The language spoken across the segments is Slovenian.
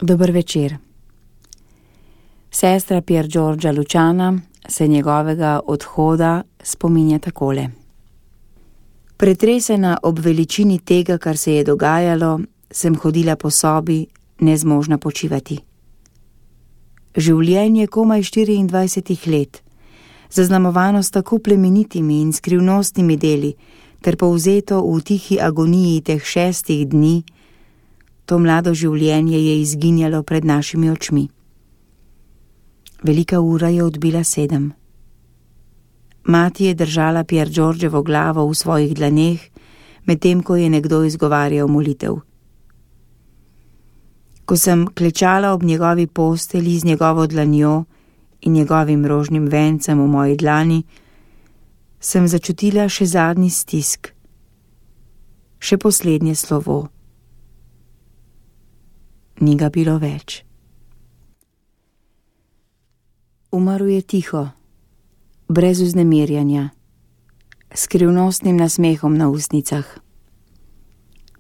Dober večer. Sestra Pier Giorgia Luciana se njegovega odhoda spominja takole. Pretresena ob veličini tega, kar se je dogajalo, sem hodila po sobi, nezmožna počivati. Življenje komaj 24 let, zaznamovano s tako plemenitimi in skrivnostnimi deli, ter povzeto v tihi agoniji teh 6 dni, to mlado življenje je izginjalo pred našimi očmi. Velika ura je odbila 7. Mati je držala Pier Giorgiovo glavo v svojih dlaneh, medtem ko je nekdo izgovarjal molitev. Ko sem klečala ob njegovi postelji z njegovo dlanjo in njegovim rožnim vencem v moji dlani, sem začutila še zadnji stisk, še poslednje slovo. Ni ga bilo več. Umrl je tiho, brez vznemirjanja, s skrivnostnim nasmehom na ustnicah.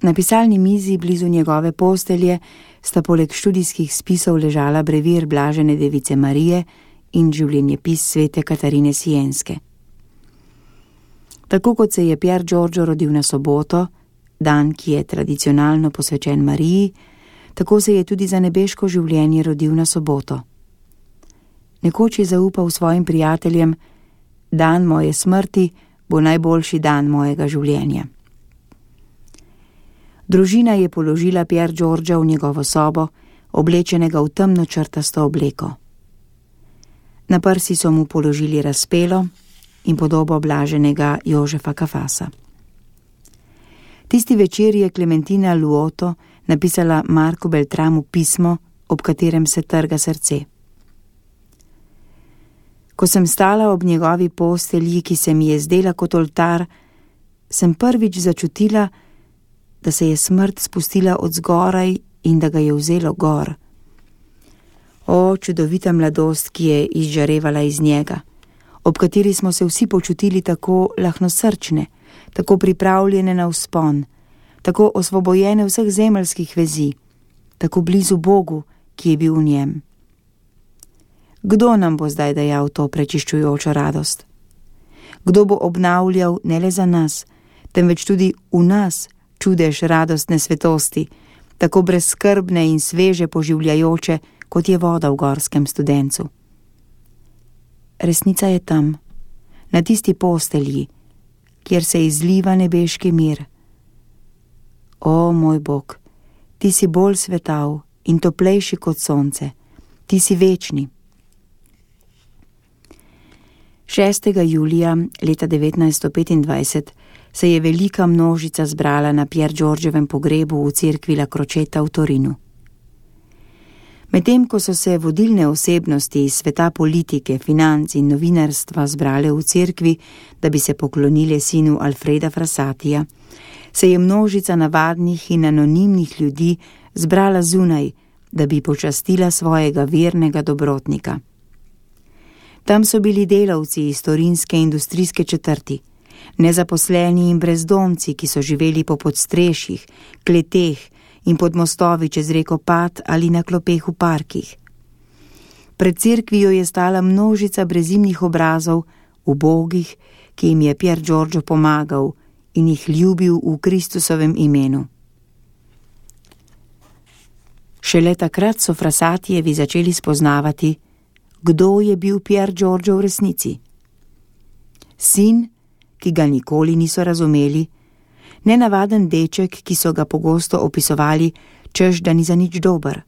Na pisalni mizi blizu njegove postelje sta poleg študijskih spisov ležala brevir Blažene device Marije in življenjepis svete Katarine Sienske. Tako kot se je Pier Giorgio rodil na soboto, dan, ki je tradicionalno posvečen Mariji, tako se je tudi za nebeško življenje rodil na soboto. Nekoč je zaupal svojim prijateljem: dan moje smrti bo najboljši dan mojega življenja. Družina je položila Pier Giorgia v njegovo sobo, oblečenega v temno črtasto obleko. Na prsi so mu položili razpelo in podobo blaženega Jožefa Kafasa. Tisti večer je Clementina Luoto napisala Marku Beltramu pismo, ob katerem se trga srce. Ko sem stala ob njegovi postelji, ki se mi je zdela kot oltar, sem prvič začutila, da se je smrt spustila od zgoraj in da ga je vzelo gor. O, čudovita mladost, ki je izžarevala iz njega, ob kateri smo se vsi počutili tako lahnosrčne, tako pripravljene na vzpon, tako osvobojene vseh zemeljskih vezi, tako blizu Bogu, ki je bil v njem. Kdo nam bo zdaj dajal to prečiščujočo radost? Kdo bo obnavljal ne le za nas, temveč tudi v nas čudež radostne svetosti, tako brezskrbne in sveže poživljajoče, kot je voda v gorskem studencu? Resnica je tam, na tisti postelji, kjer se izliva nebeški mir. O, moj Bog, ti si bolj svetav in toplejši kot sonce, ti si večni. 6. julija leta 1925 se je velika množica zbrala na Pier Giorgiovem pogrebu v cerkvi La Crocetta v Torinu. Medtem ko so se vodilne osebnosti iz sveta politike, financ in novinarstva zbrale v cerkvi, da bi se poklonile sinu Alfreda Frassatija, se je množica navadnih in anonimnih ljudi zbrala zunaj, da bi počastila svojega vernega dobrotnika. Tam so bili delavci iz torinske industrijske četrti, nezaposleni in brezdomci, ki so živeli po podstrešjih, kleteh in pod mostovi čez reko Pat ali na klopeh v parkih. Pred cerkvijo je stala množica brezimnih obrazov, ubogih, ki jim je Pier Giorgio pomagal in jih ljubil v Kristusovem imenu. Šele takrat so Frassatijevi začeli spoznavati, kdo je bil Pier Giorgio v resnici. Sin, ki ga nikoli niso razumeli, nenavaden deček, ki so ga pogosto opisovali, češ da ni za nič dober.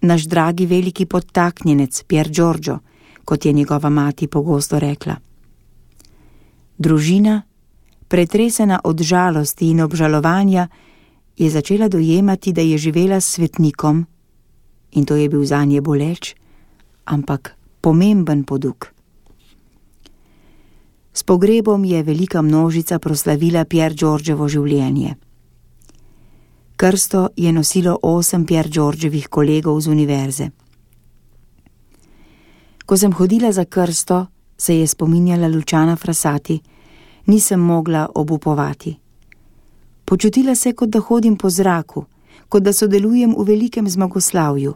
Naš dragi veliki podtaknjenec Pier Giorgio, kot je njegova mati pogosto rekla. Družina, pretresena od žalosti in obžalovanja, je začela dojemati, da je živela s svetnikom, in to je bil zanje boleč, ampak pomemben poduk. S pogrebom je velika množica proslavila Pier Giorgiovo življenje. Krsto je nosilo 8 Pier Giorgiovih kolegov z univerze. Ko sem hodila za krsto, se je spominjala Luciana Frassati, nisem mogla obupovati. Počutila se, kot da hodim po zraku, kot da sodelujem v velikem zmagoslavju.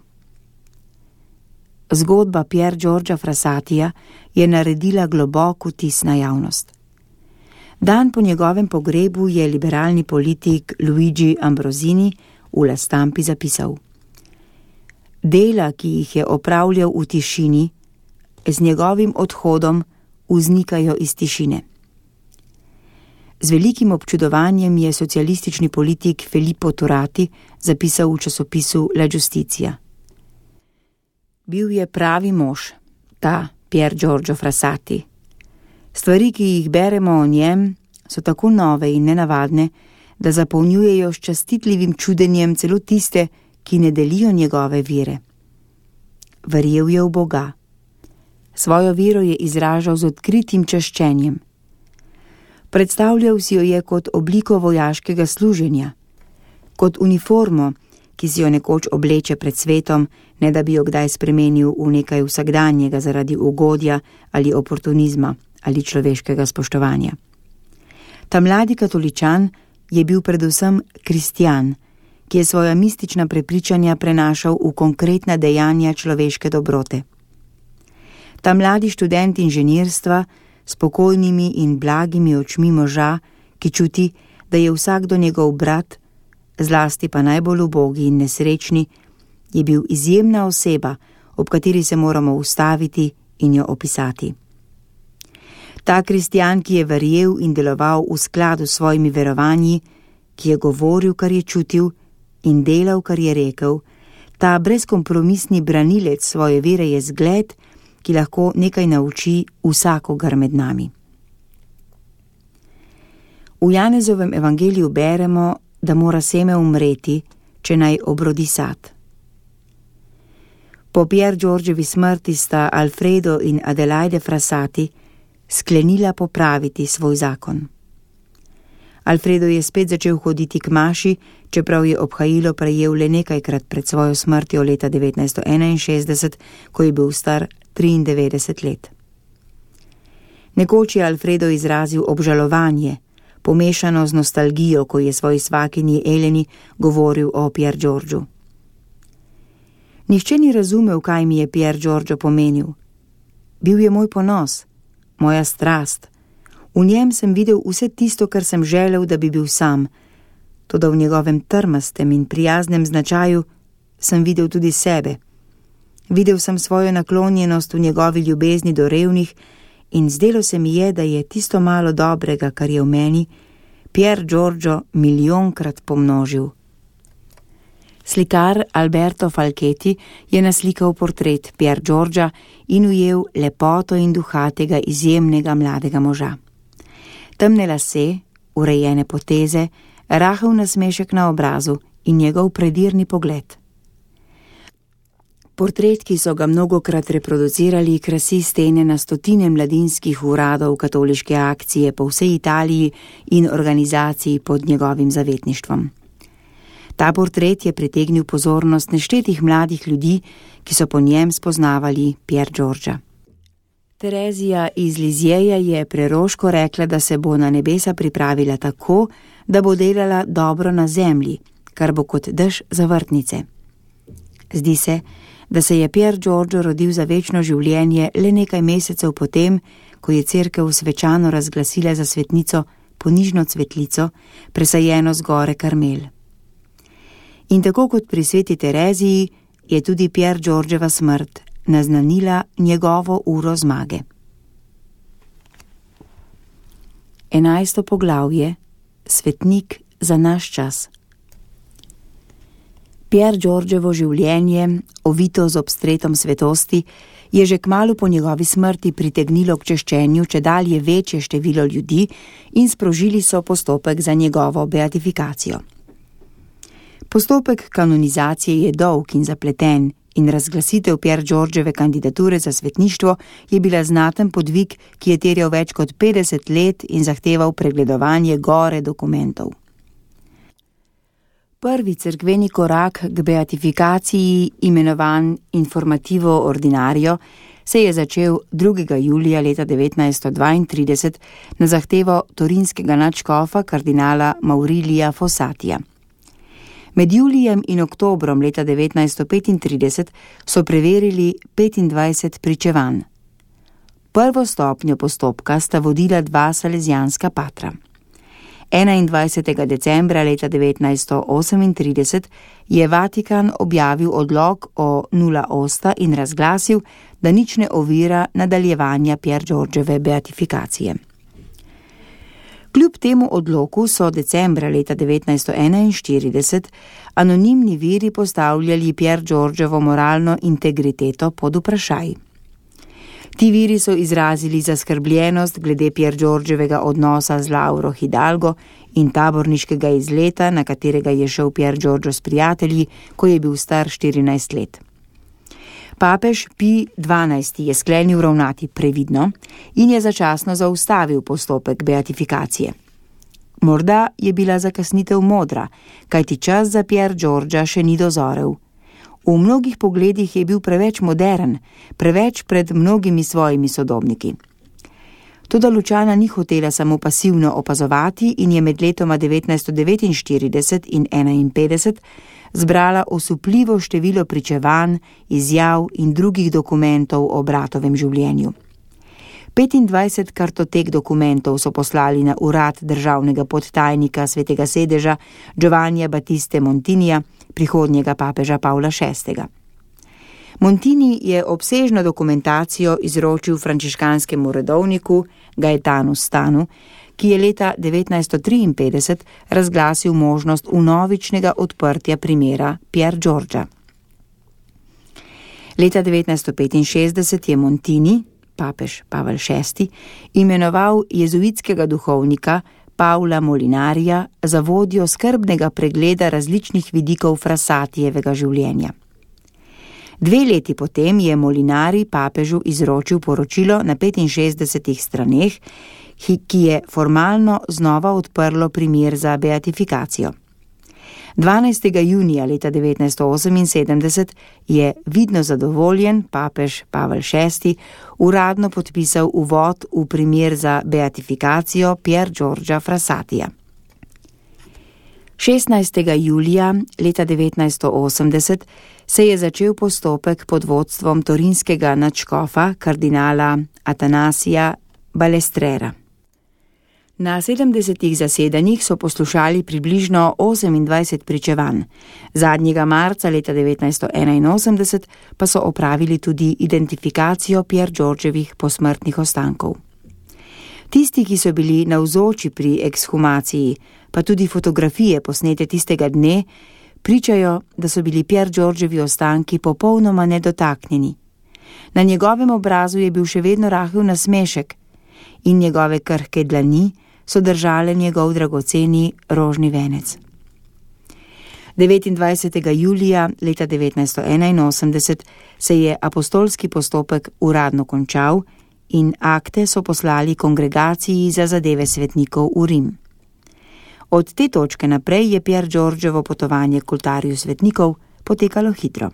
Zgodba Pier Giorgia Frassatija je naredila globok vtis na javnost. Dan po njegovem pogrebu je liberalni politik Luigi Ambrosini v La Stampi zapisal: Dela, ki jih je opravljal v tišini, z njegovim odhodom vznikajo iz tišine. Z velikim občudovanjem je socialistični politik Filippo Turati zapisal v časopisu La Giustizia: Bil je pravi mož, ta Pier Giorgio Frassati. Stvari, ki jih beremo o njem, so tako nove in nenavadne, da zapolnjujejo s častitljivim čudenjem celo tiste, ki ne delijo njegove vere. Verjel je v Boga. Svojo vero je izražal z odkritim čaščenjem. Predstavljal si jo je kot obliko vojaškega služenja, kot uniformo, ki si jo nekoč obleče pred svetom, ne da bi jo kdaj spremenil v nekaj vsakdanjega zaradi ugodja ali oportunizma ali človeškega spoštovanja. Ta mladi katoličan je bil predvsem kristjan, ki je svoja mistična prepričanja prenašal v konkretna dejanja človeške dobrote. Ta mladi študent inženirstva s spokojnimi in blagimi očmi moža, ki čuti, da je vsakdo njegov brat, zlasti pa najbolj ubogi in nesrečni, je bil izjemna oseba, ob kateri se moramo ustaviti in jo opisati. Ta kristjan, ki je verjel in deloval v skladu s svojimi verovanji, ki je govoril, kar je čutil, in delal, kar je rekel, ta brezkompromisni branilec svoje vere je zgled, ki lahko nekaj nauči vsakogar med nami. V Janezovem evangeliju beremo, da mora seme umreti, če naj obrodi sad. Po Pier Giorgievi smrti sta Alfredo in Adelaide Frassati sklenila popraviti svoj zakon. Alfredo je spet začel hoditi k maši, čeprav je obhajilo prejel le nekajkrat pred svojo smrtjo leta 1961, ko je bil star 93 let. Nekoč je Alfredo izrazil obžalovanje, pomešano z nostalgijo, ko je svoji svakinji Eleni govoril o Pier Giorgiu. Nihče ni razumel, kaj mi je Pier Giorgio pomenil. Bil je moj ponos, moja strast. V njem sem videl vse tisto, kar sem želel, da bi bil sam, toda v njegovem trmastem in prijaznem značaju sem videl tudi sebe. Videl sem svojo naklonjenost v njegovi ljubezni do revnih in zdelo se mi je, da je tisto malo dobrega, kar je v meni, Pier Giorgio milijonkrat pomnožil. Slikar Alberto Falchetti je naslikal portret Pier Giorgia in ujel lepoto in duha tega izjemnega mladega moža. Temne lase, urejene poteze, rahel nasmešek na obrazu in njegov predirni pogled. Portret, ki so ga mnogokrat reproducirali, krasi stene na stotine mladinskih uradov katoliške akcije po vsej Italiji in organizaciji pod njegovim zavetništvom. Ta portret je pritegnil pozornost neštetih mladih ljudi, ki so po njem spoznavali Pier Giorgia. Terezija iz Lizjeja je preroško rekla, da se bo na nebesa pripravila tako, da bo delala dobro na zemlji, kar bo kot dež za vrtnice. Zdi se, da se je Pier Giorgio rodil za večno življenje le nekaj mesecev potem, ko je cerkev svečano razglasila za svetnico ponižno cvetlico, presajeno z gore Karmel. In tako kot pri sveti Tereziji je tudi Pier Giorgieva smrt naznanila njegovo uro zmage. 11. poglavje. Svetnik za naš čas. Pier Giorgievo življenje, ovito z obstretom svetosti, je že kmalu po njegovi smrti pritegnilo k češčenju čedalje večje število ljudi in sprožili so postopek za njegovo beatifikacijo. Postopek kanonizacije je dolg in zapleten in razglasitev Pier Giorgieve kandidature za svetništvo je bila znaten podvig, ki je terjal več kot 50 let in zahteval pregledovanje gore dokumentov. Prvi cerkveni korak k beatifikaciji, imenovan Informativo Ordinario, se je začel 2. julija leta 1932 na zahtevo torinskega nadškofa kardinala Maurilija Fossatija. Med julijem in oktobrom leta 1935 so preverili 25 pričevanj. Prvo stopnjo postopka sta vodila dva salezijanska patra. 21. decembra leta 1938 je Vatikan objavil odlok o nula osta in razglasil, da nič ne ovira nadaljevanja Pier Giorgiove beatifikacije. Kljub temu odloku so decembra leta 1941 anonimni viri postavljali Pier Giorgiovo moralno integriteto pod vprašaj. Ti viri so izrazili zaskrbljenost glede Pier Giorgiovega odnosa z Lauro Hidalgo in taborniškega izleta, na katerega je šel Pier Giorgio s prijatelji, ko je bil star 14 let. Papež Pij XII je sklenil ravnati previdno in je začasno zaustavil postopek beatifikacije. Morda je bila zakasnitev modra, kajti čas za Pier Giorgia še ni dozorel. V mnogih pogledih je bil preveč modern, preveč pred mnogimi svojimi sodobniki. Toda Lučana ni hotela samo pasivno opazovati in je med letoma 1949 in 1951 zbrala osupljivo število pričevanj, izjav in drugih dokumentov o bratovem življenju. 25 kartotek dokumentov so poslali na urad državnega podtajnika Svetega sedeža Giovannija Battiste Montinija, prihodnjega papeža Pavla VI. Montini je obsežno dokumentacijo izročil frančiškanskemu redovniku Gaetanu Stanu, ki je leta 1953 razglasil možnost vnovičnega odprtja primera Pier Giorgia. Leta 1965 je Montini, papež Pavel VI, imenoval jezuitskega duhovnika Paula Molinarija za vodjo skrbnega pregleda različnih vidikov Frassatijevega življenja. 2 leti potem je Molinari papežu izročil poročilo na 65 straneh, ki je formalno znova odprlo primer za beatifikacijo. 12. junija leta 1978 je vidno zadovoljen papež Pavel VI uradno podpisal uvod v primer za beatifikacijo Pier Giorgia Frassatija. 16. julija leta 1980 se je začel postopek pod vodstvom torinskega nadškofa kardinala Atanasija Balestrera. Na 70 zasedanjih so poslušali približno 28 pričevanj. Zadnjega marca leta 1981 pa so opravili tudi identifikacijo Pier Giorgiovih posmrtnih ostankov. Tisti, ki so bili navzoči pri ekshumaciji, pa tudi fotografije posnete tistega dne, pričajo, da so bili Pier Giorgiovi ostanki popolnoma nedotaknjeni. Na njegovem obrazu je bil še vedno rahel nasmešek in njegove krhke dlani so držale njegov dragoceni rožni venec. 29. julija leta 1981 se je apostolski postopek uradno končal in akte so poslali kongregaciji za zadeve svetnikov v Rim. Od te točke naprej je Pier Giorgiovo potovanje k oltarju svetnikov potekalo hitro.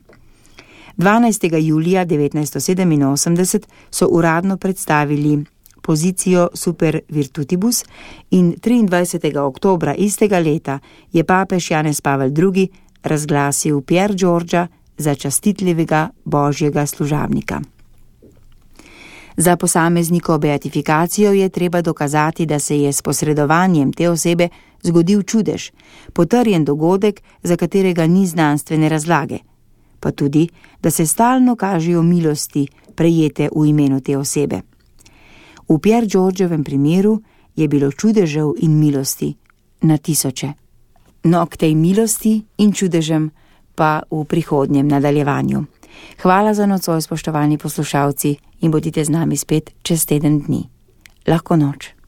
12. julija 1987 so uradno predstavili pozicijo Super Virtutibus in 23. oktobra istega leta je papež Janez Pavel II razglasil Pier Giorgia za častitljivega božjega služabnika. Za posameznikovo beatifikacijo je treba dokazati, da se je s posredovanjem te osebe zgodil čudež, potrjen dogodek, za katerega ni znanstvene razlage, pa tudi, da se stalno kažejo milosti, prejete v imenu te osebe. V Pier Giorgiovem primeru je bilo čudežev in milosti na tisoče. No, k tej milosti in čudežem pa v prihodnjem nadaljevanju. Hvala za nocoj, spoštovani poslušalci, in bodite z nami spet čez teden dni. Lahko noč.